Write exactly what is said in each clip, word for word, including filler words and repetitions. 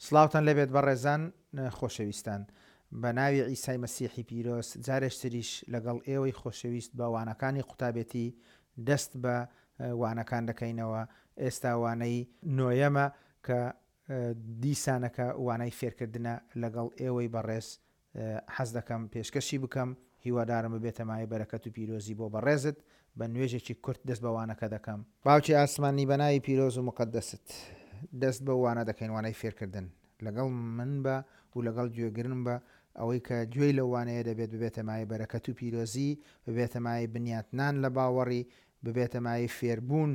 سڵاوتان لێبێت بەڕێزان خۆشەویستان. بە ناوی عیسای مەسیحی پیرۆز جارێشتریش لەگەڵ ئێوەی خۆشەویست بە وانەکانی قوتابێتی دەست بە وانەکان دەکەینەوە. ئێستا وانەی نۆیەمە کە دیسانەکە وانەی فێرکردنە لەگەڵ ئێوەی بەڕێز حەز دەکەم پێشکەشی بکەم. هیوادارم ببێتە مایەی بەرەکەت و پیرۆزی بۆ بەڕێزت. بە نوێژێکی کورت دەست بە وانەکە دەکەم. باوکی ئاسمانی بە ناوی پیرۆز و مقەدەست دەست بە وانە دەکەین، وانەی فێرکردن. لەگەڵ من بە و لەگەڵ گوێگرن بە، ئەوەی کە گوێی لەو وانەیە دەبێت ببێتە مایەی بەرەکەت و پیرۆزی، ببێتە مایەی بنیاتنان لە باوەڕی، ببێتە مایەی فێربوون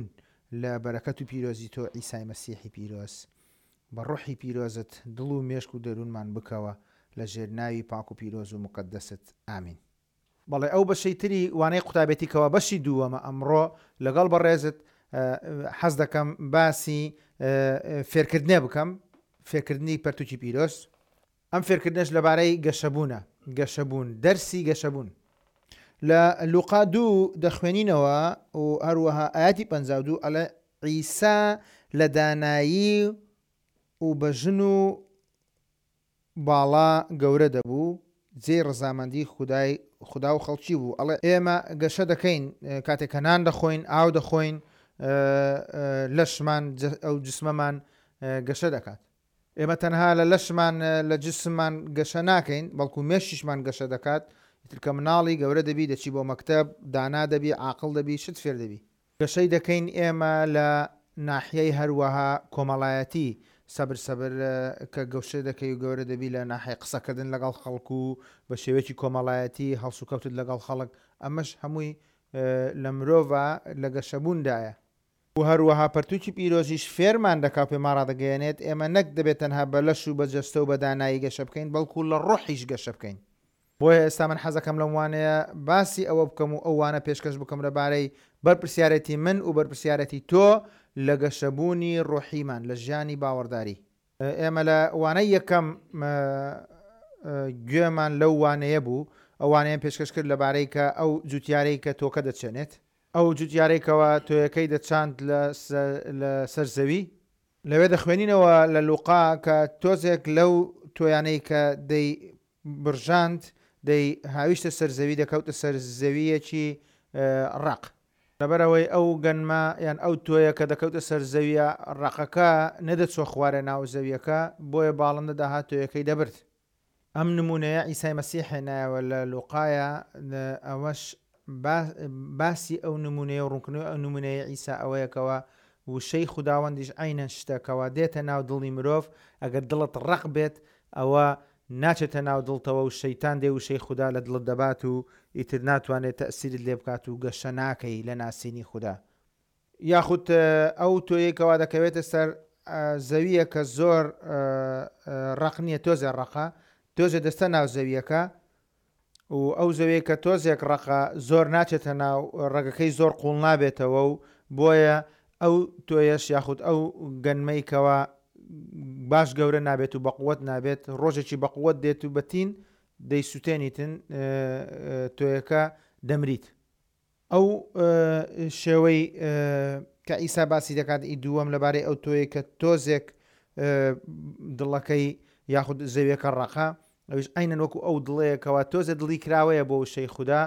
لە بەرەکەت و پیرۆزی تۆ عیسای مەسیحی پیرۆز. بە ڕۆحی پیرۆزت دڵ و مێشک و دەروونمان بکەوە لە ژێر ناوی پاک و پیرۆز و مقەدەست. ئامین. بەڵێ ئەو بەشەی تری وانەی قوتابێتی کەوا بەشی دووەمە ئەمڕۆ لەگەڵ بەڕێزت حەز دەکەم باسی فێرکردنێ بکەم، فێرکردنی پەرتوکی پیرۆز. ئەم فێرکردنەش لەبارەی گەشەبوونە، گەشەبوون، دەرسی گەشەبوون. لە لوقا دوو دەخوێنینەوە و هەروەها ئاەتی پەنجا و دوو ئەڵێ عیسا لە دانایی و بە ژن و باڵا گەورە دەبوو، جێی ڕەزامەندی خودای خدا و خەڵکی بوو. ئەڵێ ئێمە گەشە دەکەین کاتێک کە نان دەخۆین، ئاو دەخۆین، لەشمان ئەو جسمەمان گەشە دەکات. ئێمە تەنها لە لەشمان لە جسممان گەشە ناکەین، بەڵکو مێشکیشمان گەشە دەکات. ئیتر کە مناڵی گەورە دەبی، دەچی بۆ مەکتەب، دانا دەبی، عاقڵ دەبی، شت فێر دەبی. گەشەی دەکەین ئێمە لە ناحیەی هەروەها کۆمەڵایەتی، سەبر سەبر کە گەشە دەکەی و گەورە دەبی لە ناحیەی قسەکردن لەگەڵ خەڵک و بە شێوەیەکی کۆمەڵایەتی هەڵسوکەوتت لەگەڵ خەڵک، ئەمەش هەمووی لە مرۆڤە لە گەشەبووندایە. و هەروەها پەرتوکی پیرۆزیش فێرمان دەکا و پێمان ڕادەگەیەنێت ئێمە نەک دەبێت تەنها بە لەش و بە جەستە و بە دانایی گەشە بکەین، بەڵکو لە ڕۆحیش گەشە بکەین. بۆیە ئێستا من حەزەکەم لەم وانەیە باسی ئەوە بکەم و ئەو وانە پێشکەش بکەم لەبارەی بەرپرسیارەتی من و بەرپرسیارەتی تۆ لە گەشەبوونی ڕۆحیمان لە ژیانی باوەڕداری. ئێمە لە وانەی یەکەم گوێمان لەو وانەیە بوو، ئەو وانەیە پێشکەش کرد لەبارەی کە ئەو جوتیارەی کە تۆکە دەچێنێت، ئەو جوتیارەی کەوا تۆیەکەی دەچاند لەسەر زەوی. لەوێ دەخوێنینەوە لە لوقا کە تۆزێک لەو تۆیانەی کە دەی برژاند دەی هاویشتە سەر زەوی، دەکەوتە سەر زەویەکی ڕەق. لەبەرەوەی ئەو گەنمە یان ئەو تۆیە کە دەکەوتە سەر زەویە ڕەقەکە نەدەچوە خوارێ ناو زەویەکە، بۆیە باڵندە داهات تۆیەکەی دەبرد. ئەم نمونەیە عیسای مەسیح هێنایەوە لە لوقایە، ئەوەش باسی ئەو نمونەیە و ڕوونکردنەوەی ئەو نمونەیە عیسا ئەوەیەکەوە وشەی خوداوەندیش عینەن شتەکەوە دێتە ناو دڵی مرۆڤ. ئەگەر دڵت ڕەق بێت ئەوە ناچێتە ناو دڵتەوە و شەیتان دێ وشەی خودا لە دڵت دەبات و ئیتر ناتوانێت تەئسیرت لێ بکات و گەشە ناکەی لە ناسینی خودا. یاخود ئەو تۆیەکەوە دەکەوێتە سەر زەویە کە زۆر ڕەق نییە، تۆزێ ڕەقە، تۆزێ دەستە ناو زەویەکە و ئەو زەویە کە تۆزێک ڕەقە زۆر ناچێتە ناو ڕەگەکەی زۆر قوڵ نابێتەوە و بۆیە ئەو تۆیەش یاخود ئەو گەنمەی کەوا باش گەورە نابێت و بەقوەت نابێت، ڕۆژێکی بەقوەت دێت و بەتین دەیسووتێنیتن، تۆیەکە دەمریت. ئەو شێوەی کە ئیسا باسی دەکات ئی دووەم لەبارەی ئەو تۆیە کە تۆزێک دڵەکەی یاخود زەویەکە ڕەقە، ئەویش عینەن وەکو ئەو دڵەیەکەوە تۆزێ دڵی کراوەیە بۆ وشەی خودا،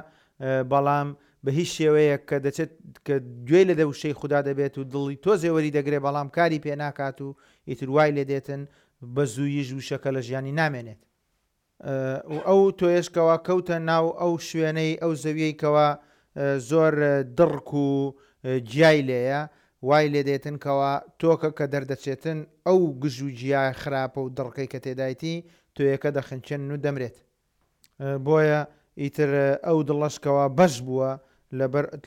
بەڵام بە هیچ شێوەیەک کە دەچێت کە گوێی لە وشەی خودا دەبێت و دڵی تۆزێ وەری دەگرێت، بەڵام کاری پێ ناکات و ئیتر وای لێ دێتن بە زوویش وشەکە لە ژیانی نامێنێت. و ئەو تۆیەشکەوە کەوتە ناو ئەو شوێنەی ئەو زەویەی کەوا زۆر دڕک و گیای لێیە، وای لێ دێتن کەوا تۆکە کە دەردەچێتن ئەو گژ و گیای خراپە و دڕکەی کە تێدایتی تۆیەکە دەخنچێنن و دەمرێت. بۆیە ئیتر ئەو دڵەشکەوە بەش بووە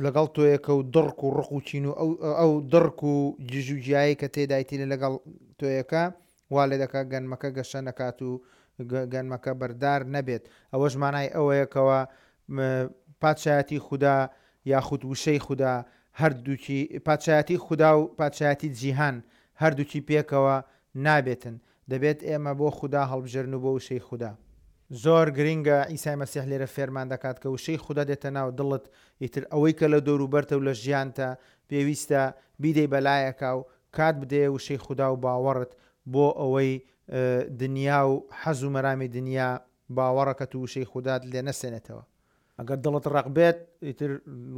لەگەڵ تۆیەکە و دڕک و ڕق و چین و ئەو دڕک و گژ و گیایی کە تێدایتی لەگەڵ تۆیەکە وا لێ دەکات گەنمەکە گەشە نەکات و گەنمەکە بەردار نەبێت. ئەوەش مانای ئەوەیەکەوە پادشایەتی خودا یاخود وشەی خودا هەردووکی پادشایەتی خودا و پادشایەتی جیهان هەردووکی پێکەوە نابێتن. دەبێت ئێمە بۆ خودا هەڵبژێرن و بۆ وشەی خودا. زۆر گرنگە عیسای مەسیح لێرە فێرمان دەکات کە وشەی خودا دێتە ناو دڵت، ئیتر ئەوەی کە لە دەوروبەرتە و لە ژیانتە پێویستە بیدەی بەلایەکا و کات بدەیە وشەی خودا و باوەڕت بۆ ئەوەی دنیا و حەز و مەرامی دنیا باوەڕەکەت و وشەی خودات لێ نەسێنێتەوە. ئەگەر دڵت ڕەق بێت ئیتر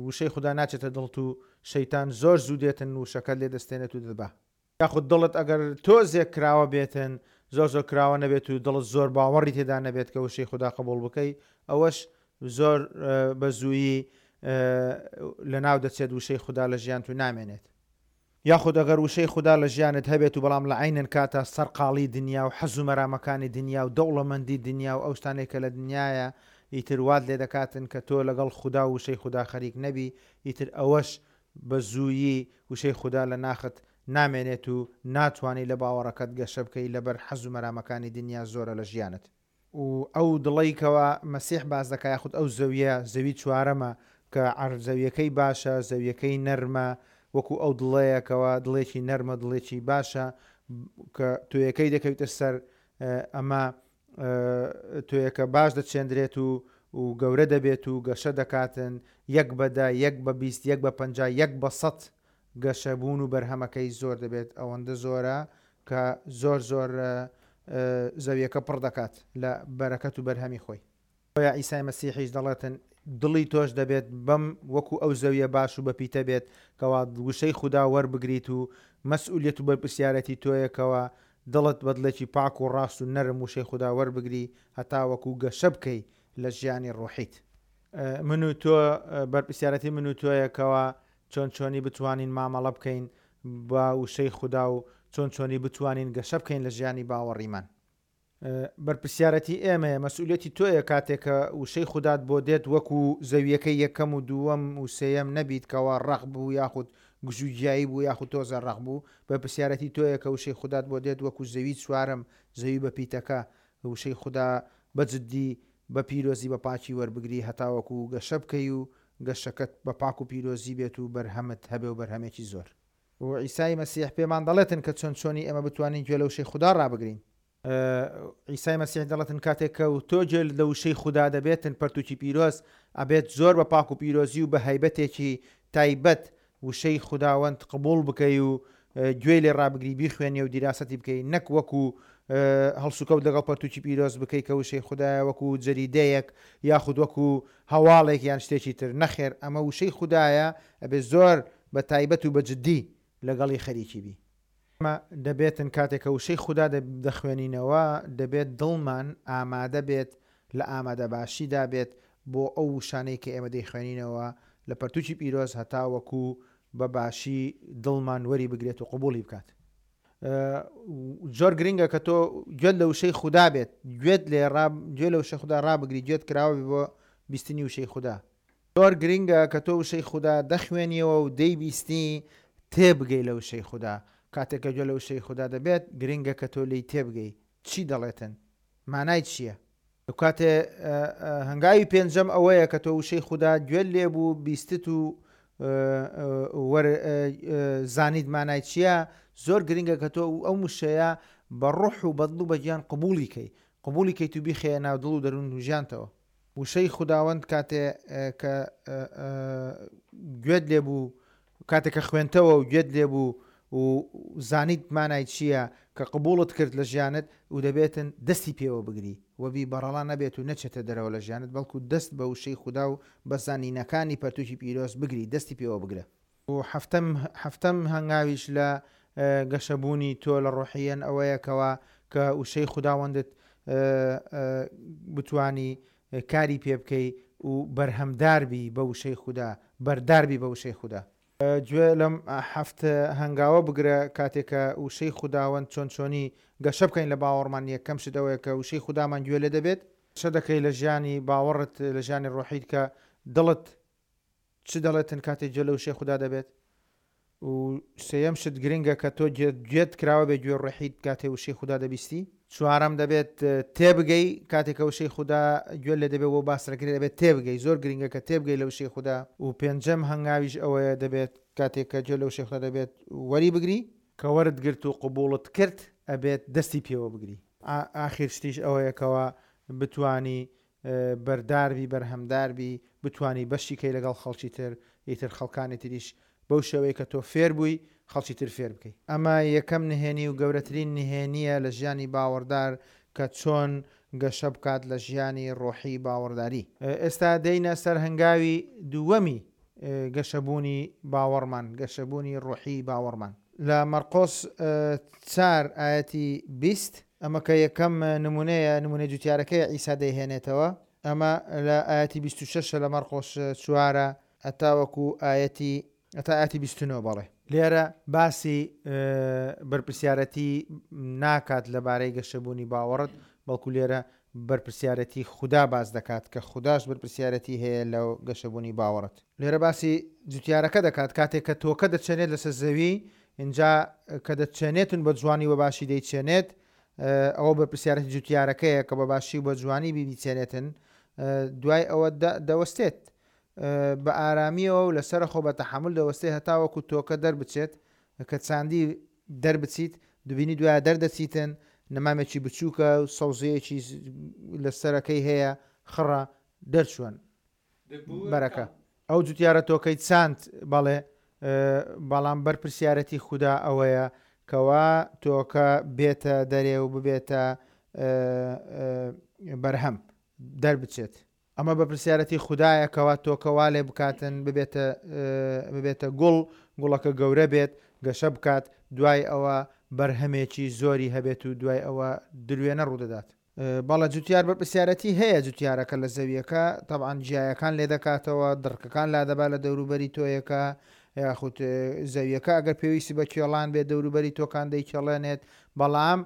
وشەی خودا ناچێتە دڵت و شەیتان زۆر زوو دێتن وشەکەت لێ دەستێنێت و دەبا. یاخود دڵت ئەگەر تۆزێک کراوە بێتن، زۆر زۆر کراوە نەبێت و دڵت زۆر باوەڕی تێدا نەبێت کە وشەی خودا قبوڵ بکەی، ئەوەش زۆر بە زوویی لەناو دەچێت، وشەی خودا لە ژیانت و نامێنێت. یاخود ئەگەر وشەی خودا لە ژیانت هەبێت و بەڵام لە عینەن کاتە سەرقاڵی دنیا و حەز و مەرامەکانی دنیا و دەوڵەمەندی دنیا و ئەو شتانەی کە لە دنیایە ئیتر وات لێ دەکاتن کە تۆ لەگەڵ خودا و وشەی خودا خەریک نەبی، ئیتر ئەوەش بە زوویی وشەی خودا لە ناخت نامێنێت و ناتوانانی لە باوەڕەکەت گەشە بکەی لەبەر حەز و مەرامەکانی دنیا زۆرە لە ژیانت. و ئەو دڵەیکەوە مەسیح باز دەکا، یاخود ئەو زەویە، زەوی چوارەمە کە زەویەکەی باشە، زەویەکەی نەرمە، وەکو ئەو دڵەیەکەوە دڵێکی نەرمە، دڵێکی باشە کە تۆیەکەی دەکەویتە سەر، ئەمە تۆیەکە باش دەچێندرێت و و گەورە دەبێت و گەشە دەکاتن، یەک بە دە، یەک بە بیست، یەک بە پەنجا، یەک بە سەد گەشەبوون و بەرهەمەکەی زۆر دەبێت. ئەوەندە زۆرە کە زۆر زۆر زەویەکە پڕ دەکات لە بەرەکەت و بەرهەمی خۆی. بۆیە عیسای مەسیحیش دەڵێتن دڵی تۆش دەبێت بەم وەکو ئەو زەویە باش و بەپیتە بێت کەوا وشەی خودا وەربگریت و مەسئولیەت و بەرپرسیارەتی تۆیەکەوە دڵت بەدڵێکی پاک و ڕاست و نەرم وشەی خودا وەربگری هەتا وەکو گەشە بکەی لە ژیانی ڕۆحیت. من و تۆ بەرپرسیارەتی من و تۆیەکەوە چۆن چۆنی بتوانین مامەڵە بکەین بە وشەی خودا و چۆن چۆنی بتوانین گەشە بکەین لە ژیانی باوەڕیمان. بەرپرسیارەتی ئێمەیە، مەسئولیەتی تۆیە کاتێک کە وشەی خودات بۆ دێت وەکو زەویەکەی یەکەم و دووەم و سێیەم نەبیت کەوا ڕەق بوو یاخود گژوگیایی بوو یاخود تۆزە ڕەق بوو. بەرپرسیارەتی تۆیە کە وشەی خودات بۆ دێت وەکو زەوی چوارەم، زەوی بە پیتەکە، وشەی خودا بە جدی بە پیرۆزی بە پاکی وەربگری هەتاوەکو گەشە بکەی و گەشەکەت بە پاک و پیرۆزی بێت و بەرهەمت هەبێ و بەرهەمێکی زۆر. و عیسای مەسیح پێمان دەڵێتن کە چۆن چۆنی ئێمە بتوانین گوێ لە وشەی خودا ڕابگرین. عیسای مەسیح دەڵێتن کاتێک کە تۆ گوێ لە وشەی خودا دەبێتن پەرتوکی پیرۆز ئەبێت زۆر بە پاک و پیرۆزی و بە هەیبەتێکی تایبەت وشەی خوداوەند قبوڵ بکەی و گوێی لێ ڕابگری، بیخوێنی و دیراسەتی بکەی، نەک وەکو هەڵسوکەوت لەگەڵ پەرتوکی پیرۆز بکەی کە وشەی خودایە وەکو جەریدەیەک یاخود وەکو هەواڵێک یان شتێکی تر. نەخێر، ئەمە وشەی خودایە، ئەبێت زۆر بە تایبەت و بە جدی لەگەڵی خەریکی بی. ئەمە دەبێتن کاتێک کە وشەی خودا دەخوێنینەوە دەبێت دڵمان ئامادە بێت، لە ئامادە باشیدا بێت بۆ ئەو وشانەی کە ئێمە دەیخوێنینەوە لە پەرتوکی پیرۆز هەتا وەکو بە باشی دڵمان وەری بگرێت و قبوڵی بکات. زۆر گرنگە کە تۆ گوێت لە وشەی خودا بێت، گوێت لێ گوێ لە وشەی خودا ڕابگری، گوێت کراوە بێ بۆ بیستنی وشەی خودا. زۆر گرنگە کە تۆ وشەی خودا دەخوێنیەوە و دەیبیستی تێبگەی لە وشەی خودا. کاتێک کە گوێ لە وشەی خودا دەبێت گرنگە کە تۆ لێی تێبگەی چی دەڵێتن، مانای چییە. کاتێ هەنگاوی پێنجەم ئەوەیە کە تۆ وشەی خودا گوێت لێبوو، بیستت و زانیت مانای چییە، زۆر گرنگە کە تۆ ئەو وشەیە بە ڕۆح و بەدڵ و بە گیان قبوڵی کەی، قبوڵی کەیت و بیخەیە ناو دڵ و دەروون و ژیانتەوە. وشەی خوداوەند کاتێ کە گوێت لێبوو، کاتێک کە خوێنتەوە و گوێت لێبوو و زانیت مانای چییە کە قبوڵت کرد لە ژیانت و دەبێتن دەستی پێوە بگری وەبی بەڕەڵا نەبێت و نەچێتە دەرەوە لە ژیانت، بەڵکو دەست بە وشەی خودا و بە زانینەکانی پەرتوکی پیرۆز بگری، دەستی پێوە بگرە. و هەفتەم هەفتەم هەنگاویش لە گەشەبوونی تۆ لە ڕۆحیەن ئەوەیەکەوە کە وشەی خوداوەندت بتوانی کاری پێ بکەی و بەرهەمدار بی بە وشەی خودا، بەردار بی بە وشەی خودا. گوێ لەم هەفت هەنگاوە بگرە کاتێک کە وشەی خوداوەند چۆن چۆنی گەشە بکەین لە باوەڕمان. یەکەم شت ئەوەیە کە وشەی خودامان گوێ لێ دەبێت، گەشە دەکەی لە ژیانی باوەڕت، لە ژیانی ڕۆحیت کە دڵت چ دەڵێتن کاتێک گوێ لە وشەی خودا دەبێت. و سێیەم شت گرنگە کە تۆ گوێت کراوە بێ گوێ ڕۆحیت کاتێ وشەی خودا دەبیستی. چوارەم دەبێت تێبگەی کاتێک کە وشەی خودا گوێ لێ دەبێت بۆ باسەکرێت دەبێت تێبگەی، زۆر گرنگە کە تێبگەی لە وشەی خودا. و پێنجەم هەنگاویش ئەوەیە دەبێت کاتێک کە گوێ لە وشەی خودا دەبێت وەری بگری، کە وەرت گرت و قبوڵت کرد ئەبێت دەستی پێوە بگری. ئاخیر شتیش ئەوەیەکەوە بتوانی بەردار بی، بەرهەمدار بی، بتوانی بەشی کەی لەگەڵ خەڵکی تر، ئیتر خەڵکانی تریش بەو شێوەیە کە تۆ فێر بووی خەڵکی تر فێر بکەی. ئەمە یەکەم نهێنی و گەورەترین نهێنییە لە ژیانی باوەڕدار کە چۆن گەشە بکات لە ژیانی ڕۆحی باوەڕداری. ئێستا دێینە سەر هەنگاوی دووەمی گەشەبوونی باوەڕمان، گەشەبوونی ڕۆحی باوەڕمان. لە مەرقۆس چار ئایەتی بیست، ئەمە کە یەکەم نمونەیە، نمونەی جوتیارەکەی عیسا دەیهێنێتەوە. ئەمە لە ئایەتی بیست و شەش لە مەرقۆس چوارە ئەتاوەکو ئایەتی ئەتا ئایەتی بیست و نۆ. بەڵێ لێرە باسی بەرپرسیارەتی ناکات لەبارەی گەشەبوونی باوەڕت، بەڵکو لێرە بەرپرسیارەتی خودا باس دەکات کە خوداش بەرپرسیارەتی هەیە لەو گەشەبوونی باوەڕت. لێرە باسی جوتیارەکە دەکات کاتێک کە تۆکە دەچێنێت لەسەر زەوی، اینجا کە دەچێنێتن بە جوانی و باشی دەیچێنێت، ئەوە بەرپرسیارەتی جوتیارەکەیە کە بە باشی و بە جوانی بیچێنێتن. دوای ئەوە دەوەستێت بە ئارامیەوە و لەسەر خۆ بە تەحەمول دەوەستێت هەتاوەکو تۆکە دەربچێت. کە چاندی دەربچیت دوبینی دوای دەردەچیتن، نەمامێکی بچووکە و سەوزەیەکی لەسەرەکەی هەیە، خڕە دەرچوون بەرەکە. ئەو جوتیارە تۆکەی چاند، بەڵێ، بەڵام بەرپرسیارەتی خودا ئەوەیە کەوا تۆکە بێتە دەرێ و ببێتە بەرهەم دەربچێت. ئەمە بەرپرسیارەتی خودایە کەوا تۆکە وا لێ بکاتن ببێتە ببێتە گوڵ، گوڵەکە گەورە بێت، گەشە بکات، دوای ئەوە بەرهەمێکی زۆری هەبێت و دوای ئەوە دروێنە ڕوودەدات. بەڵێ جوتیار بەرپرسیارەتی هەیە. جوتیارەکە لە زەویەکە تەبعەن جیایەکان لێ دەکاتەوە، دڕکەکان لادەبا لە دەوروبەری تۆیەکە، یاخود زەویەکە ئەگەر پێویستی بە کێڵان بێت دەوروبەری تۆکان دەیکێڵێنێت، بەڵام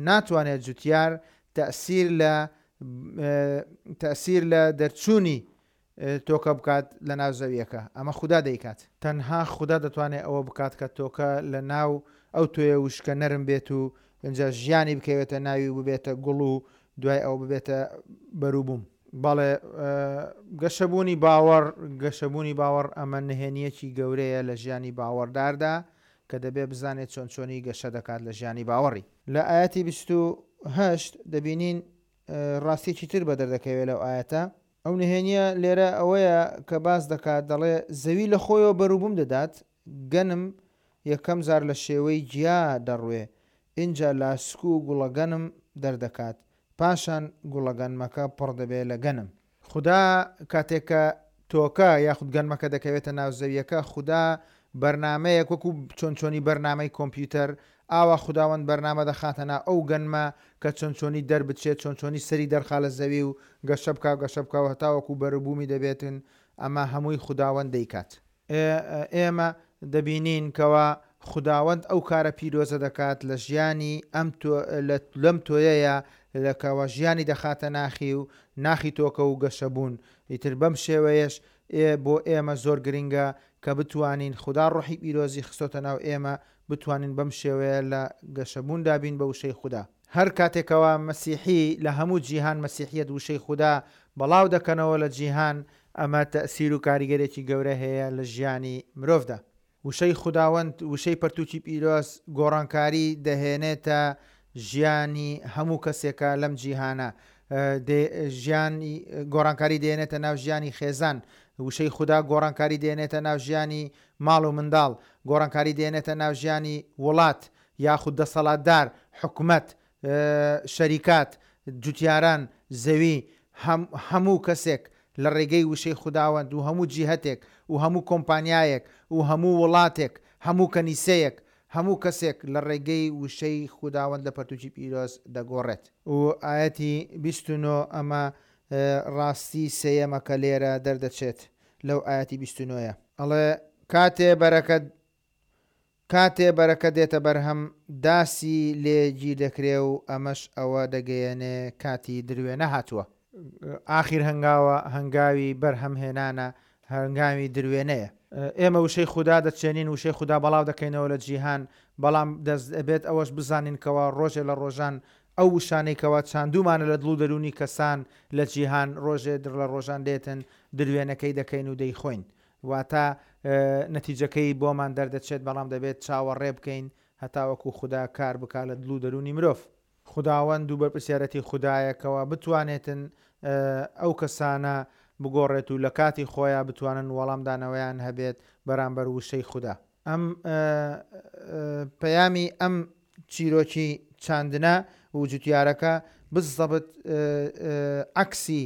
ناتوانێت جوتیار تەسیر لە تەسیر لە دەرچوونی تۆکە بکات لە ناو زەویەکە. ئەمە خودا دەیکات. تەنها خودا دەتوانێت ئەوە بکات کە تۆکە لە ناو ئەو تۆیە وشکە نەرم بێت و اینجا ژیانی بکەوێتە ناوی و ببێتە گوڵ و دوای ئەوە ببێتە بەروبووم. بەڵێ گەشەبوونی باوەڕ، گەشەبوونی باوەڕ ئەمە نهێنیەکی گەورەیە لە ژیانی باوەڕداردا کە دەبێت بزانێت چۆن چۆنی گەشە دەکات لە ژیانی باوەڕی. لە ئایەتی بیست و هەشت دەبینین ڕاستیەکی تر بەدەر دەکەوێت لەو ئایەتە. ئەو نهێنیە لێرە ئەوەیە کە باس دەکات، دەڵێ زەوی لە خۆیەوە بەروبووم دەدات، گەنم یەکەم جار لە شێوەی گیا دەڕوێ، ئینجا لاسک و گوڵەگەنم دەردەکات، پاشان گوڵەگەنمەکە پڕ دەبێت لە گەنم. خودا کاتێک کە تۆکە یاخود گەنمەکە دەکەوێتە ناو زەویەکە، خودا بەرنامەیەک وەکو چۆن چۆنی بەرنامەی کۆمپیوتەر، ئاوا خوداوەند بەرنامە دەخاتە ناو ئەو گەنمە کە چۆن چۆنی دەربچێت، چۆن چۆنی سەری دەرخا لە زەوی و گەشە بکا و گەشە بکا و هەتاوەکو بەروبوومی دەبێتن. ئەمە هەمووی خوداوەند دەیکات. ئێمە دەبینین کەوا خوداوەند ئەو کارە پیرۆزە دەکات لە ژیانی ئەم لەم تۆیەیە لەکەوە ژیانی دەخاتە ناخی و ناخی تۆکە و گەشەبوون. ئیتر بەم شێوەیەش بۆ ئێمە زۆر گرنگە کە بتوانین خودا ڕۆحی پیرۆزی خستۆتە ناو ئێمە، بتوانین بەم شێوەیە لە گەشەبووندا بین بە وشەی خودا. هەر کاتێکەوە مەسیحی لە هەموو جیهان مەسیحیەت وشەی خودا بەڵاو دەکەنەوە لە جیهان، ئەمە تەسیر و کاریگەرێکی گەورە هەیە لە ژیانی مرۆڤدا. وشەی خوداوەند، وشەی پەرتوکی پیرۆز گۆڕانکاری دەهێنێتە ژیانی هەموو کەسێکە لەم جیهانە، ژیانی گۆڕانکاری دێنێتە ناو ژیانی خێزان. وشەی خودا گۆڕانکاری دێنێتە ناو ژیانی ماڵ و منداڵ، گۆڕانکاری دێنێتە ناو ژیانی وڵات یاخود دەسەڵاتدار، حکومەت، شەریکات، جوتیاران، زەوی، هەموو کەسێک لە ڕێگەی وشەی خوداوەند و هەموو جیهەتێک و هەموو کۆمپانیایەک و هەموو وڵاتێک، هەموو کەنیسەیەک، هەموو کەسێک لە ڕێگەی وشەی خوداوەند لە پەرتوکی پیرۆز دەگۆڕێت. و ئایەتی بیست و نۆ ئەمە ڕاستی سێیەمە کە لێرە دەردەچێت لەو ئایەتی بیست و نۆیە. ئەڵێ کاتێ بەرەکە کاتێ بەرەکە دێتە بەرهەم داسی لێگیر دەکرێ و ئەمەش ئەوە دەگەیەنێ کاتی دروێنە هاتووە. ئاخیر هەنگاوە هەنگاوی بەرهەمهێنانە، هەنگاوی دروێنەیە. ئێمە وشەی خودا دەچێنین، وشەی خودا بەڵاو دەکەینەوە لە جیهان، بەڵام دەبێت ئەوەش بزانین کەوا ڕۆژێ لە ڕۆژان ئەو وشانەی کەوا چاندومانە لە دڵ و دەروونی کەسان لە جیهان ڕۆژێ لە ڕۆژان دێتن دروێنەکەی دەکەین و دەیخۆین. واتە نەتیجەکەی بۆمان دەردەچێت، بەڵام دەبێت چاوەڕێ بکەین هەتاوەکو خودا کار بکا لە دڵ و دەروونی مرۆڤ. خوداوەند و بەرپرسیارەتی خودایەکەوە بتوانێتن ئەو کەسانە بگۆڕێت و لە کاتی خۆیان بتوانن وەڵامدانەوەیان هەبێت بەرامبەر وشەی خودا. ئەم پەیامی ئەم چیرۆکی چاندنە و جوتیارەکە بزەبت عەکسی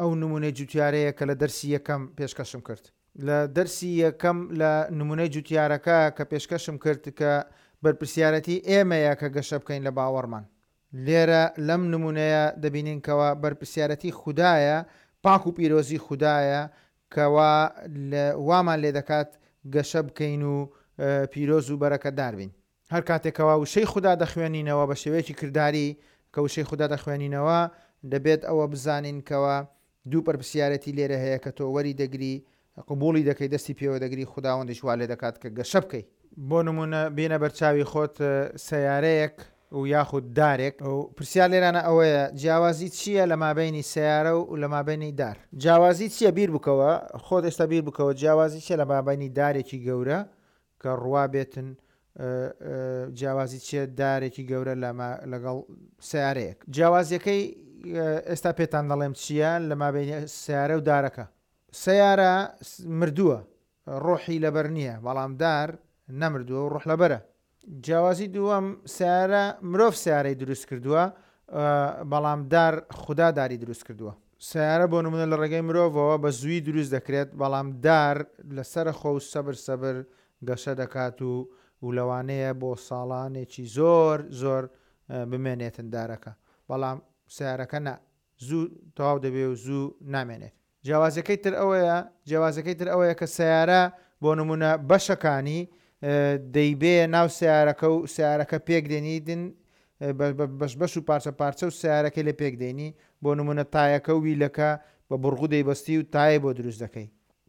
ئەو نمونەی جوتیارەیە کە لە دەرسی یەکەم پێشکەشم کرد. لە دەرسی یەکەم لە نمونەی جوتیارەکە کە پێشکەشم کرد کە بەرپرسیارەتی ئێمەیە کە گەشە بکەین لە باوەڕمان. لێرە لەم نمونەیە دەبینین کەوا بەرپرسیارەتی خودایە، پاک و پیرۆزی خودایە کەوا وامان لێ دەکات گەشە بکەین و پیرۆز و بەرەکەتدار بین. هەر کاتێکەوە وشەی خودا دەخوێنینەوە بە شێوەیەکی کرداری کە وشەی خودا دەخوێنینەوە دەبێت ئەوە بزانین کەوا دوو بەرپرسیارەتی لێرە هەیە کە تۆ وەری دەگری، قبوڵی دەکەی، دەستی پێوە دەگری، خوداوەندیش وا لێ دەکات کە گەشە بکەی. بۆ نمونە بینە بەرچاوی خۆت سیارەیەک و یاخود دارێک. و پرسیار لێرانە ئەوەیە جیاوازی چییە لە مابینی سیارە و لە مابینی دار؟ جیاوازی چییە؟ بیر بکەوە، خۆت ئێستا بیر بکەوە جیاوازی چییە لە مابینی دارێکی گەورە کە ڕوا بێتن، جیاوازی چییە دارێکی گەورە لەگەڵ سیارەیەک؟ جیاوازیەکەی ئێستا پێتان دەڵێم چییە لە مابینی سیارە و دارەکە. سیارە مردووە، ڕۆحی لەبەر نییە، بەڵام دار نەمردووە و ڕۆح لەبەرە. جیاوازی دووەم، سیارە مرۆڤ سیارەی دروست کردووە، بەڵام دار خودا داری دروست کردووە. سیارە بۆ نمونە لە ڕێگەی مرۆڤەوە بە زووی دروست دەکرێت، بەڵام دار لەسەر خۆ و سەبر سەبر گەشە دەکات و و لەوانەیە بۆ ساڵانێکی زۆر زۆر بمێنێتن دارەکە، بەڵام سیارەکە نا، زوو تەواو دەبێ و زوو نامێنێت. جیاوازەکەی تر ئەوەیە جیاوازەکەی تر ئەوەیە کە سیارە بۆ نمونە بەشەکانی دەیبێ ناو سیارەکە و سیارەکە پێک دێنیدن بەش بەش و پارچە پارچە و سیارەکەی لە پێک دێنی. بۆ نمونە تایەکە و ویلەکە بە بڕغو دەیبەستی و تایە بۆ دروست دەکەی.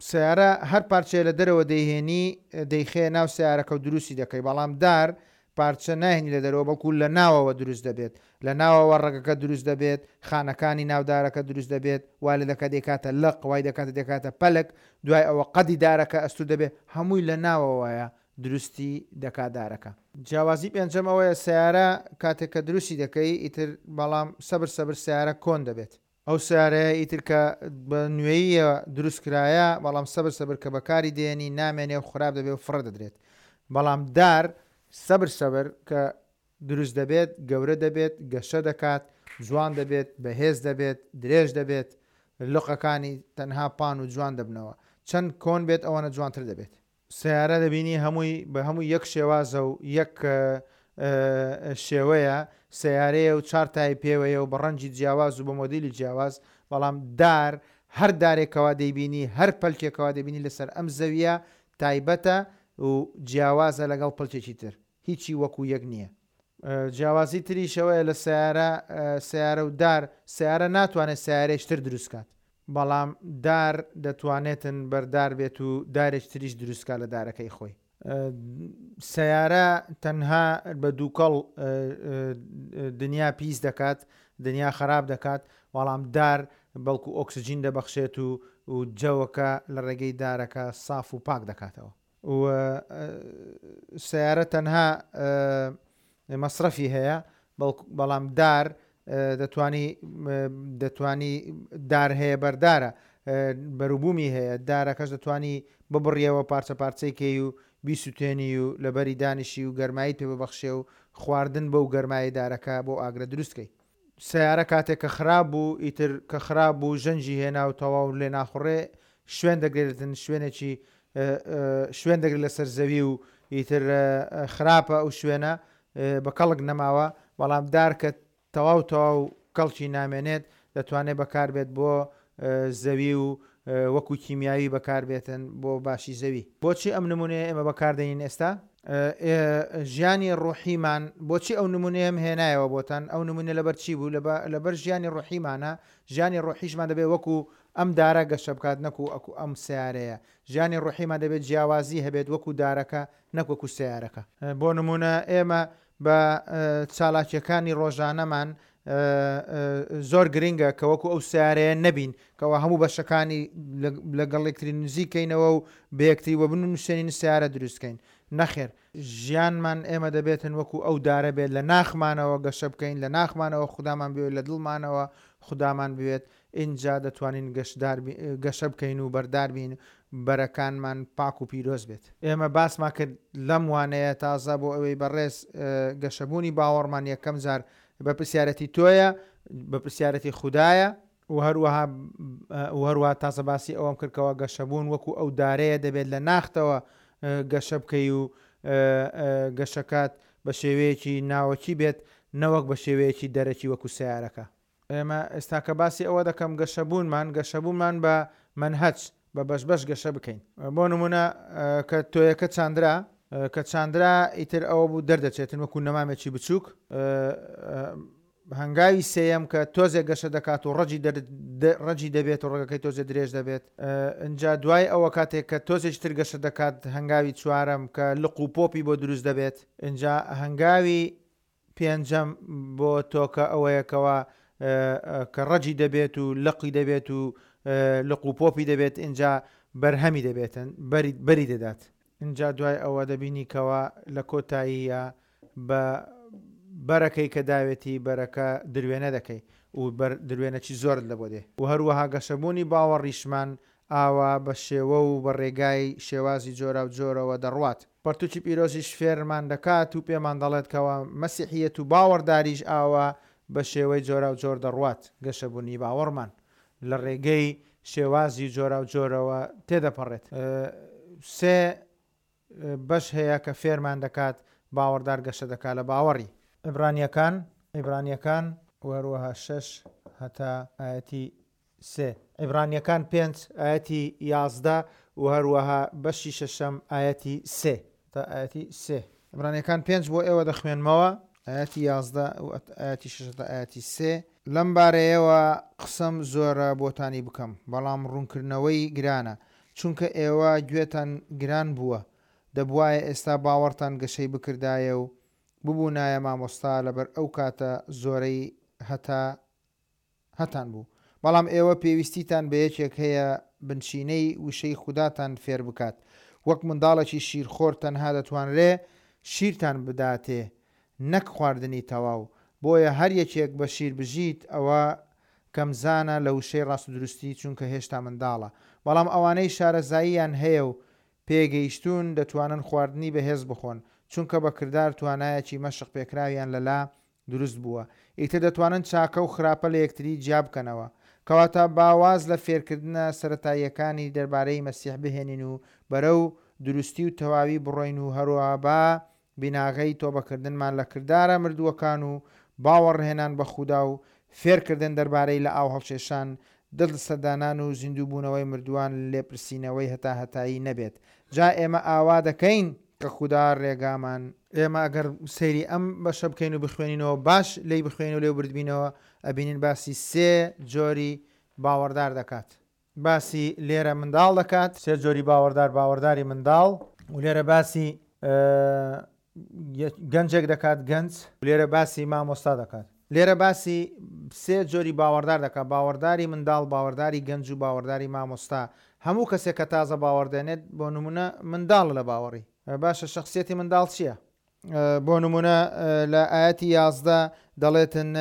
سیارە هەر پارچەیە لە دەرەوە دەیهێنی دەیخێ ناو سیارەکە و دروستی دەکەی، بەڵام دار پارچە ناهێنی لە دەرەوە، بەڵکو لە ناوەوە دروست دەبێت. لە ناوەوە ڕەگەکە دروست دەبێت، خانەکانی ناودارەکە دروست دەبێت، وا لە دەکات دەکاتە لق، وای دەکاتە دەکاتە پەلک، دوای ئەوە قەدی دارەکە ئەستور دەبێت، هەمووی لە ناوەوەیە دروستی دەکات دارەکە. جیاوازی پێنجەم ئەوەیە سیارە کاتێک کە دروستی دەکەی ئیتر، بەڵام سەبر سەبر سیارە کۆن دەبێت. ئەو سیارەیە ئیتر کە بە نوێیە دروست کرایە، بەڵام سەبر سەبر کە بەکاری دێنی نامێنێ و خراپ دەبێت و فڕە دەدرێت. بەڵام دار سەبر سەبر کە دروست دەبێت، گەورە دەبێت، گەشە دەکات، جوان دەبێت، بەهێز دەبێت، درێژ دەبێت، لقەکانی تەنها پان و جوان دەبنەوە. چەند کۆن بێت ئەوەنە جوانتر دەبێت. سیارە دەبینی هەمووی بە هەموو یەک شێوازە و یەک شێوەیە، سیارەیە و چوار تای پێوەیە و بە ڕەنگی جیاواز و بە مۆدیلی جیاواز. بەڵام دار هەر دارێکەوە دەیبینی، هەر پەلکێکەوە دەبینی لەسەر ئەم زەویە تایبەتە و جیاوازە لەگەڵ پەلکێکی تر، هیچی وەکو یەک نییە. جیاوازی تریشەوەیە لە سیارە سیارە و دار. سیارە ناتوانێت سیارەیش تر دروست کات، بەڵام دار دەتوانێتن بەردار بێت و دارێک تریش دروستکات لە دارەکەی خۆی. سیارە تەنها بە دووکەڵ دنیا پیس دەکات، دنیا خراپ دەکات، بەڵام دار بەڵکو ئۆکسجین دەبەخشێت و و جەوەکە لە ڕێگەی دارەکە ساف و پاک دەکاتەوە. و سیارە تەنها مەصرفی هەیە، بەڵام دار دەتوانی دەتوانی دار هەیە، بەردارە، بەروبوومی هەیە، دارەکەش دەتوانی ببڕیەوە پارچە پارچەی کەی و بیسووتێنی و لەبەری دانیشی و گەرمایی پێ ببەخشێ و خواردن بەو گەرمایی دارەکە بۆ ئاگرە دروستکەی. سیارە کاتێک کە خراپ بوو، ئیتر کە خراپ بوو ژەنجی هێنا و تەواو لێ ناخوڕێ، شوێن دەگرێتن، شوێنێکی شوێن دەگرێت لەسەر زەوی و ئیتر خراپە ئەو شوێنە بە کەڵک نەماوە. بەڵام دار کە تەواو تەواو کەڵکی نامێنێت دەتوانێت بەکاربێت بۆ زەوی و وەکو کیمیاوی بەکاربێتن بۆ باشی زەوی. بۆچی ئەم نمونەیە ئێمە بەکاردێنین ئێستا؟ ژیانی ڕۆحیمان، بۆچی ئەو نمونەیەم هێنایەوە بۆتان؟ ئەو نمونە لەبەر چی بوو؟ لەبەر ژیانی ڕۆحیمانە. ژیانی ڕۆحیشمان دەبێت وەکو ئەم دارە گەشە بکات، نەکو ئەکو ئەم سیارەیە. ژیانی ڕۆحیمان دەبێت جیاوازی هەبێت وەکو دارەکە نەک وەکو سیارەکە. بۆ نمونە ئێمە بە چالاکیەکانی ڕۆژانەمان زۆر گرنگە کە وەکو ئەو سیارەیە نەبین کەەوە هەموو بەشەکانی لەگەڵ یەکتری نزیکەینەوە و بەیەکتری وە بنووسێنین سیارە دروستکەین. نەخێر، ژیانمان ئێمە دەبێتن وەکو ئەو دارە بێت، لە ناخمانەوە گەشە بکەین، لە ناخمانەوە خودامان بوێت، لە دڵمانەوە خودامان بوێت، ئینجا دەتوانین گەشە بکەین و بەردار بین، بەرەکانمان پاک و پیرۆز بێت. ئێمە باسمان کرد لەم وانەیە تازە بۆ ئەوەی بەڕێز گەشەبوونی باوەڕمان یەکەم جار بە پرسیارەتی تۆیە، بە پرسیارەتی خودایە، و هەروەها و هەروەها تازە باسی ئەوەم کردکەوە گەشەبوون وەکو ئەو دارەیە دەبێت لە ناختەوە گەشە بکەی و گەشەکات بە شێوەیەکی ناوەکی بێت نەوەک بە شێوەیەکی دەرەکی وەکو سیارەکە. ئێمە ئێستا کە باسی ئەوە دەکەم گەشەبوونمان گەشەبوونمان بە مەنهەج بە بەش بەش گەشە بکەین. بۆ نمونە کە تۆیەکە چاندرا، کە چاندرا ئیتر ئەوە بوو دەردەچێتن وەکو نەمامێکی بچووک. هەنگاوی سێیەم کە تۆزێک گەشە دەکات و ڕەجی ڕەجی دەبێت و ڕەگەکەی تۆزێ درێژ دەبێت. ئینجا دوای ئەوە کاتێک کە تۆزێکی تر گەشە دەکات هەنگاوی چوارەم کە لق و پۆپی بۆ دروست دەبێت. ئینجا هەنگاوی پێنجەم بۆ تۆکە ئەوەیەکەوە کە ڕەجی دەبێت و لقی دەبێت و لق و پۆپی دەبێت، ئینجا بەرهەمی دەبێتن، بەری دەدات. ئینجا دوای ئەوە دەبینی کەوە لە کۆتاییە بە بەرەکەی کە داوێتی بەرەکە دروێنە دەکەی و دروێنەکی زۆرت لە بۆ دێ. و هەروەها گەشەبوونی باوەڕیشمان ئاوا بە شێوە و بە ڕێگای شێوازی جۆرا و جۆرەوە دەڕوات. پەرتوکی پیرۆزیش فێرمان دەکات و پێمان دەڵێت کەەوە مەسیحیەت و باوەڕداریش ئاوا بە شێوەی جۆرا و جۆر دەڕوات. گەشەبوونی باوەڕمان لە ڕێگەی شێوازی جۆرا و جۆرەوە تێدەپەڕێت. سێ بەش هەیە کە فێرمان دەکات باوەڕدار گەشە دەکات لە باوەڕی. عیبرانیەکان عیبرانیەکان و هەروەها شەش هەتا ئایەتی سێ، عیبرانیەکان پێنج ئایەتی یازدە و هەروەها بەشی شەشەم ئایەتی سێ تا ئایەتی سێ. عیبرانیەکان پێنج بۆ ئێوە دەخوێنمەوە، ئایەتی یازدە و ئایەتی شەش تا ئایەتی سێ. لەم بارەیەوە قسەم زۆرە بۆتانی بکەم، بەڵام ڕوونکردنەوەی گرانە، چونکە ئێوە گوێتان گران بووە. دەبوایە ئێستا باوەڕتان گەشەی بکردایە و ببوونایە مامۆستا لەبەر ئەو کاتە زۆرەی هەتا هەتان بوو. بەڵام ئێوە پێویستیتان بە یەکێک هەیە بنچینەی وشەی خوداتان فێر بکات. وەک منداڵێکی شیرخۆر تەنها دەتوانرێ شیرتان بداتێ نەک خواردنی تەواو. بۆیە هەر یەکێک بە شیر بژیت ئەوە کەمزانە لە وشەی ڕاست و دروستی، چونکە هێشتا منداڵە. بەڵام ئەوانەی شارەزاییان هەیە و پێگەیشتون دەتوانن خواردنی بەهێز بخۆن، چونکە بە کردار توانایەکی مەشق پێکراویان لەلا دروست بووە. ئیتر دەتوانن چاکە و خراپە لە یەکتری جیا بکەنەوە. کەواتە باواز لە فێرکردنە سەتاییەکانی دەربارەی مەسیح بهێنین و بەرەو دروستی و تەواوی بڕۆین و هەروەها با بیناغەی تۆبەکردنمان لە کردارە مردووەکان و باوەڕهێنان بە خودا و فێرکردن دەربارەی لە ئاو هەڵکێشان، دڵ سەردانان و زیندووبوونەوەی مردووان لێپرسینەوەی هەتا هەتایی نەبێت. جا ئێمە ئاوا دەکەین کە خودا ڕێگامان. ئێمە ئەگەر سەیری ئەم بەشە بکەین و بخوێنینەوە، باش لێی بخوێنین و لێ بردبینەوە، ئەبینین باسی سێ جۆری باوەڕدار دەکات. باسی لێرە منداڵ دەکات، سێ جۆری باوەڕدار، باوەڕداری منداڵ، و لێرە باسی گەنجێک دەکات، گەنج، لێرە باسی مامۆستا دەکات. لێرە باسی سێ جۆری باوەڕدار دەکات، باوەڕداری منداڵ، باوەڕداری گەنج و باوەڕداری مامۆستا. هەموو کەسێک کە تازە باوەڕدێنێت بۆ نمونە منداڵ لە باوەڕی. باشە شخصیەتی منداڵ چییە؟ بۆ نمونە لە ئایەتی یازدە دەڵێتن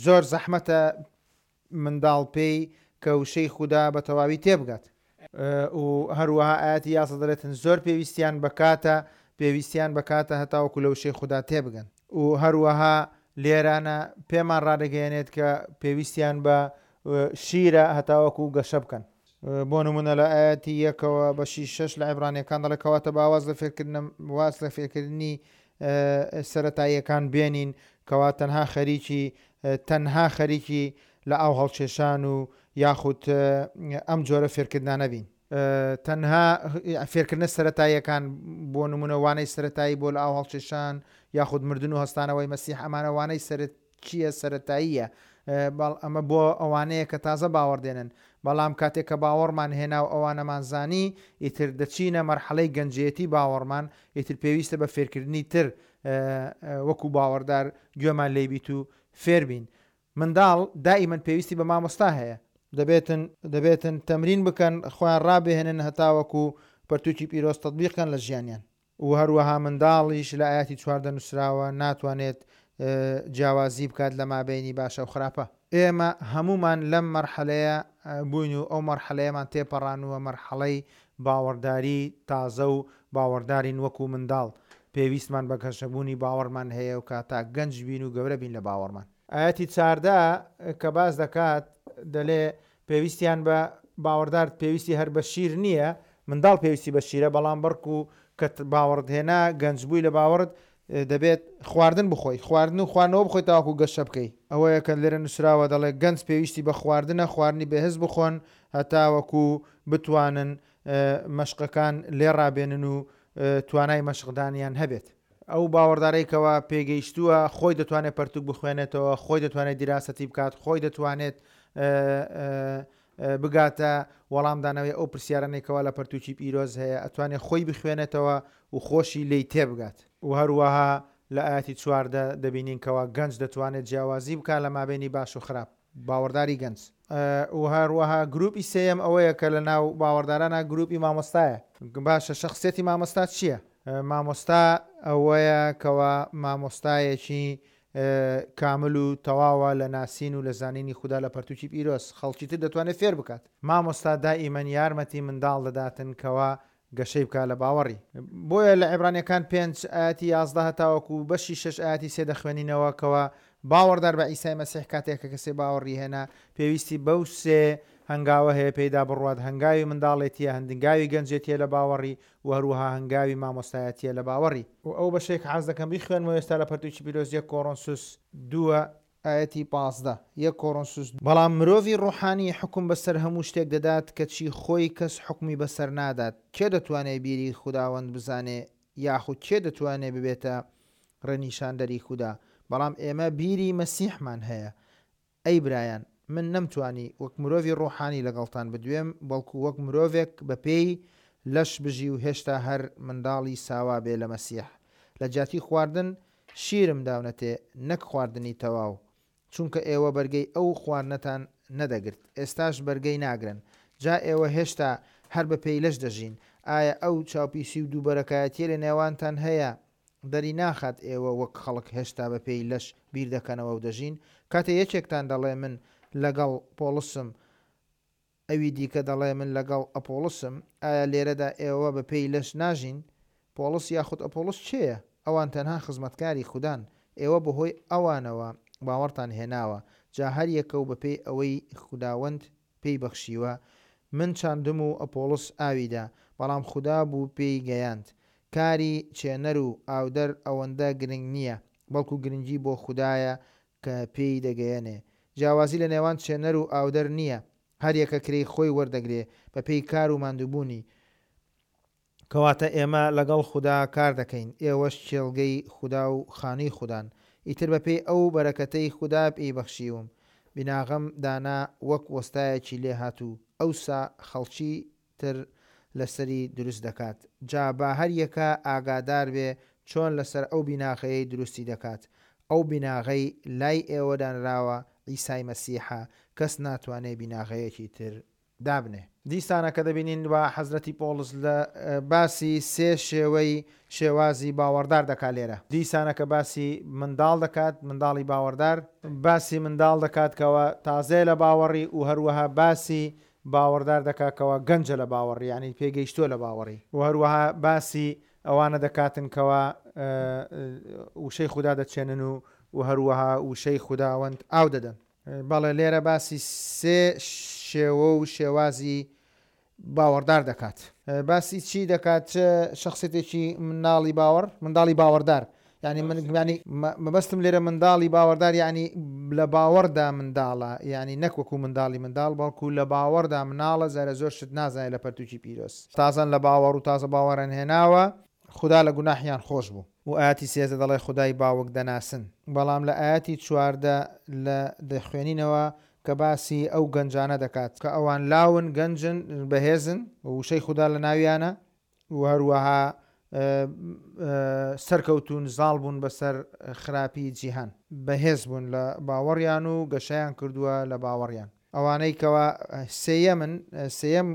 زۆر زەحمەتە منداڵ پێی کە وشەی خودا بە تەواوی تێبگات. و هەروەها ئایەتی یازدە دەڵێتن زۆر پێویستیان بەکاتە پێویستیان بەکاتە هەتاوەکو لە وشەی خودا تێبگەن. و هەروەها لێرانە پێمان ڕادەگەیەنێت کە پێویستیان بە شیرە هەتاوەکو گەشە بکەن. بۆ نمونە لە ئایەتی یەکەوە بەشی شەش لە عیبرانیەکان دەڵێ کەواتە باواز لە فێرکردن واز لە فێرکردنی سەتاییەکان بێنین، کەوا تەنها خەریکی تەنها خەریکی لە ئاو هەڵکێشان و یاخود ئەم جۆرە فێرکردنانە بین. تەنها فێرکردنە سەتاییەکان، بۆ نمونە وانەی سەتایی بۆ لە ئاو هەڵکێشان یاخود مردن و هەستانەوەی مەسیح، ئەمانە وانەی سەرچیە سەتاییە. بەڵ ئەمە بۆ ئەوانەیە کە تازە باوەڕدێنن. بەڵام کاتێک کە باوەڕمان هێنا و ئەوانەمان زانی، ئیتر دەچینە مەرحەلەی گەنجێتی باوەڕمان، ئیتر پێویستە بە فێرکردنی تر وەکو باوەڕدار گوێمان لێبیت و فێربین. منداڵ دائیمەن پێویستی بە مامۆستا هەیە، دەبێتن دەبێتن تەمرین بکەن، خۆیان ڕابهێنن هەتاوەکو پەرتوکی پیرۆز تەطبیقکەن لە ژیانیان. و هەروەها منداڵیش لە ئایەتی چواردە نووسراوە ناتوانێت جیاوازی بکات لە مابینی باشە و خراپە. ئێمە هەمومان لەم مەرحەلەیە بووین و ئەو مەرحەلەیەمان تێپەڕانووە، مەرحەڵەی باوەڕداری تازە و باوەڕدارین وەکو منداڵ. پێویستمان بە گەشەبوونی باوەڕمان هەیە و کاتا گەنج بین و گەورە بین لە باوەڕمان. ئاەتی چاردە کە باس دەکات دەلێ پێویستیان بە باوەڕدار پێویستی هەر بە شیر نییە، منداڵ پێویستی بە شیرە، بەڵام بەڵکو کە باوەڕت هێنا گەنج بووی لە باوەڕت دەبێت خواردن بخۆی، خواردن و خواردنەوە بخۆی تاوەکو گەشە بکەی. ئەوەیە کە لێرە نووسراوە دەڵێ گەنج پێویستی بە خواردنە، خواردنی بەهێز بخۆن هەتاوەکو بتوانن مەشقەکان لێ ڕابێنن و توانای مەشقدانیان هەبێت. ئەو باوەڕدارەی کەوا پێگەیشتووە خۆی دەتوانێت پەرتوک بخوێنێتەوە، خۆی دەتوانێت دیراسەتی بکات، خۆی دەتوانێت بگاتە وەڵامدانەوەی ئەو پرسیارانەی کەوا لە پەرتوکی پیرۆز هەیە، ئەتوانێت خۆی بخوێنێتەوە و خۆشی لێی تێبگات. و هەروەها لە ئاەتی چواردە دەبینین کەوا گەنج دەتوانێت جیاوازی بکات لە مابینی باش و خراپ، باوەڕداری گەنج. و هەروەها گروپی سێیەم ئەوەیە کە لە ناو باوەڕدارانە گروپی مامۆستایە. باشە شخصیەتی مامۆستا چییە؟ مامۆستا ئەوەیە کەوا مامۆستایەکی کامل و تەواوە لە ناسین و لە زانینی خودا لە پەرتوکی پیرۆز، خەڵکی تر دەتوانێت فێر بکات. مامۆستا دائیمەن یارمەتی منداڵ دەداتن کەوا گەشەی بکات لە باوەڕی. بۆیە لە عیبرانیەکان پێنج ئاەتی یازدە هەتاوەکو بەشی شەش ئاەتی سێ دەخوێنینەوە کەوا باوەڕدار بە عیسای مەسیح کاتێک کە کەسێ باوەڕی هێنا پێویستی بەو سێ هەنگاوە هەیە پێیدا بڕوات، هەنگاوی منداڵێتیە، هەنگاوی گەنجێتیە لە باوەڕی و هەروەها هەنگاوی مامۆستایەتیە لە باوەڕی. و ئەو بەشێک حەز دەکەم بیخوێنمەوە ئێستا لە پەرتوکی پیرۆز یەک کۆرۆنسوس دووە ئاەتی پازدە، یەک کۆرۆنسوس. بەڵام مرۆڤی ڕۆحانی حکم بەسەر هەموو شتێک دەدات کەچی خۆی کەس حکمی بەسەر نادات. کێ دەتوانێت بیری خوداوەند بزانێ یاخود کێ دەتوانێت ببێتە ڕێنیشاندەری خودا؟ بەڵام ئێمە بیری مەسیحمان هەیە. ئەی برایان، من نەمتوانی وەک مرۆڤی ڕۆحانی لەگەڵتان بدوێم، بەڵکو وەک مرۆڤێک بە پێی لەش بژی و هێشتا هەر منداڵی ساوا بێ لە مەسیح. لە جیاتی خواردن شیرم داونەتێ نەک خواردنی تەواو، چونکە ئێوە بەرگەی ئەو خواردنەتان نەدەگرت، ئێستاش بەرگەی ناگرن. جا ئێوە هێشتا هەر بە پێی لەش دەژین. ئایا ئەو چاوپیسی و دووبەرەکایەتیە لە نێوانتان هەیە دەری ناخات ئێوە وەک خەڵک هێشتا بە پێی لەش بیر دەکەنەوە و دەژین؟ کاتێ یەکێکتان دەڵێ من لەگەڵ پۆڵسم، ئەوی دیکە دەڵێ من لەگەڵ ئەپۆڵسم، ئایا لێرەدا ئێوە بە پێی لەش ناژین؟ پۆڵس یاخود ئەپۆڵس چێیە؟ ئەوان تەنها خزمەتکاری خودان، ئێوە بەهۆی ئەوانەوە باوەڕتان هێناوە. جا هەر یەکە و بەپێی ئەوەی خوداوەند پێی بەخشیوە، من چاندم و ئەپۆڵس ئاویدا، بەڵام خودا بوو پێی گەیاند. کاری چێنەر و ئاودەر ئەوەندە گرنگ نییە، بەڵکو گرنگی بۆ خودایە کە پێی دەگەیەنێ. جیاوازی لە نێوان چێنەر و ئاودەر نییە، هەر یەکە کرێی خۆی وەردەگرێ بە پێی کار و ماندووبوونی. کەواتە ئێمە لەگەڵ خودا کار دەکەین، ئێوەش کێڵگەی خودا و خانووی خودان. ئیتر بەپێی ئەو بەرەکەتەی خودا پێی بەخشیوم، بیناغەم دانا وەک وەستایەکی لێهاتوو، ئەوسا خەڵکی تر لەسەری دروست دەکات. جا با هەر یەکە ئاگادار بێ چۆن لەسەر ئەو بیناغەیەی دروستی دەکات. ئەو بیناغەی لای ئێوە دانراوە عیسای مەسیحە، کەس ناتوانێت بیناغەیەکی تر دابنێ. دیسانە کە دەبینین وا حەزرەتی پۆڵس لە باسی سێ شێوەی شێوازی باوەڕدار دەکات لێرە. دیسانە کە باسی منداڵ دەکات، منداڵی باوەڕدار، باسی منداڵ دەکات کەەوە تازەیە لە باوەڕی و هەروەها باسی باوەڕدار دەکات کەەوە گەنجە لە باوەڕی، یعنی پێگەیشتووە لە باوەڕی. و هەروەها باسی ئەوانە دەکاتن کەەوە وشەی خودا دەچێنن و و هەروەها وشەی خوداوەند ئاو دەدەن. بەڵێ لێرە باسی سێ شێوە و شێوازی باوەڕدار دەکات. باسی چی دەکات؟ چ شخصیتێکی منداڵی باوەڕ، منداڵی باوەڕدار، یعنی من یعنی مەبەستم لێرە منداڵی باوەڕدار یعنی لە باوەڕدا منداڵە، یعنی نەک وەکو منداڵی منداڵ، بەڵکو لە باوەڕدا مناڵە، زارە زۆر شت نازانێت لە پەرتوکی پیرۆز. تازەن لە باوەڕ و تازە باوەڕیان هێناوە، خودا لە گوناحیان خۆش بوو. و ئاەتی سێزدە دەڵێ خودای باوک دەناسن. بەڵام لە ئاەتی چواردە لە دەخوێنینەوە کە باسی ئەو گەنجانە دەکات کە ئەوان لاون، گەنجن، بەهێزن، وشەی خودا لە ناویانە و هەروەها سەرکەوتون، زاڵ بوون بەسەر خراپی جیهان، بەهێز بوون لە باوەڕیان و گەشەیان کردووە لە باوەڕیان. ئەوانەی کەوا سێیەمن، سێیەم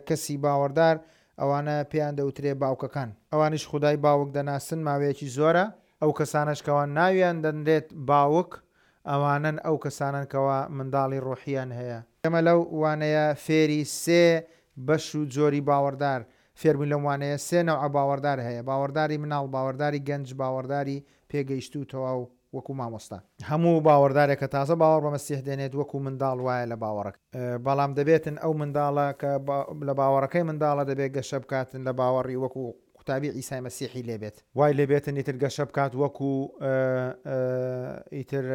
کەسی باوەڕدار، ئەوانە پێیان دەوترێ باوکەکان. ئەوانیش خودای باوک دەناسن ماوەیەکی زۆرە. ئەو کەسانەش کەوان ناویان دەنرێت باوک، ئەوانەن ئەو کەسانەن کەوا منداڵی ڕۆحیان هەیە. ئێمە لەو وانەیە فێری سێ بەش و جۆری باوەڕدار فێربووین. لەم وانەیە سێ نەوعە باوەڕدار هەیە، باوەڕداری مناڵ، باوەڕداری گەنج، باوەڕداری پێگەیشتوو تەواو وەکو مامۆستا. هەموو باوەڕدارێک کە تازە باوەڕ بە مەسیح دێنێت وەکو منداڵ وایە لە باوەڕەکە، بەڵام دەبێتن ئەو منداڵە کە لە باوەڕەکەی منداڵە دەبێت گەشە بکاتن لە باوەڕی وەکو قوتابی عیسای مەسیحی لێبێت، وای لێبێتن ئیتر گەشە بکات وەکو ئیتر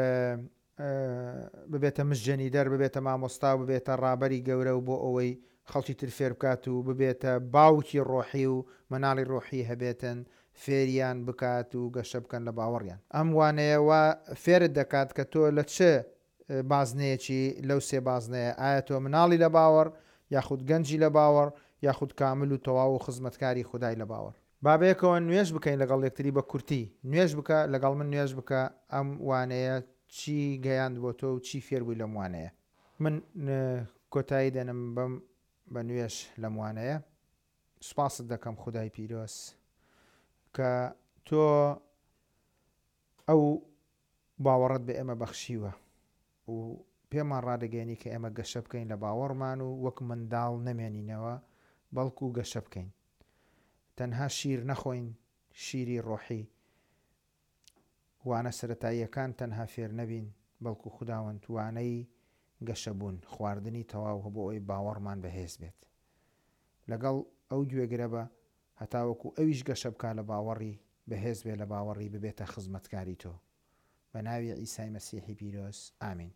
ببێتە مژێنی دەر، ببێتە مامۆستا و ببێتە ڕابەری گەورە و بۆ ئەوەی خەڵکی تر فێر بکات و ببێتە باوکی ڕۆحی و مناڵی ڕۆحی هەبێتن فێریان بکات و گەشە بکەن لە باوەڕیان. ئەم وانەیە وا فێرت دەکات کە تۆ لە چ بازنەیەکی لەو سێ بازنەیە، ئایا تۆ مناڵی لە باوەڕ یاخود گەنجی لە باوەڕ یاخود کامل و تەواو و خزمەتکاری خودای لە باوەڕ. با بەیەکەوە نوێژ بکەین لەگەڵ یەکتری بە کورتی. نوێژ بکە لەگەڵ من، نوێژ بکە ئەم وانەیە چی گەیاند بۆ تۆ و چی فێر بووی لەم وانەیە. من کۆتایی دێنم بەم بە نوێژ لەم وانەیە. سوپاست دەکەم خودای پیرۆز کە تۆ ئەو باوەڕت بە ئێمە بەخشیوە و پێمان ڕادەگەیەنی کە ئێمە گەشە بکەین لە باوەڕمان و وەک منداڵ نەمێنینەوە بەڵکو گەشە بکەین، تەنها شیر نەخۆین، شیری ڕۆحی، وانە سەتاییەکان تەنها فێر نەبین، بەڵکو خوداوەند وانەی گەشەبوون، خواردنی تەواو بۆ ئەوەی باوەڕمان بەهێز بێت. لەگەڵ ئەو گوێگرە بە هەتاوەکو ئەویش گەشە بکا لە باوەڕی، بەهێز بێ لە باوەڕی، ببێتە خزمەتکاری تۆ. بە ناوی عیسای مەسیحی پیرۆز، ئامین.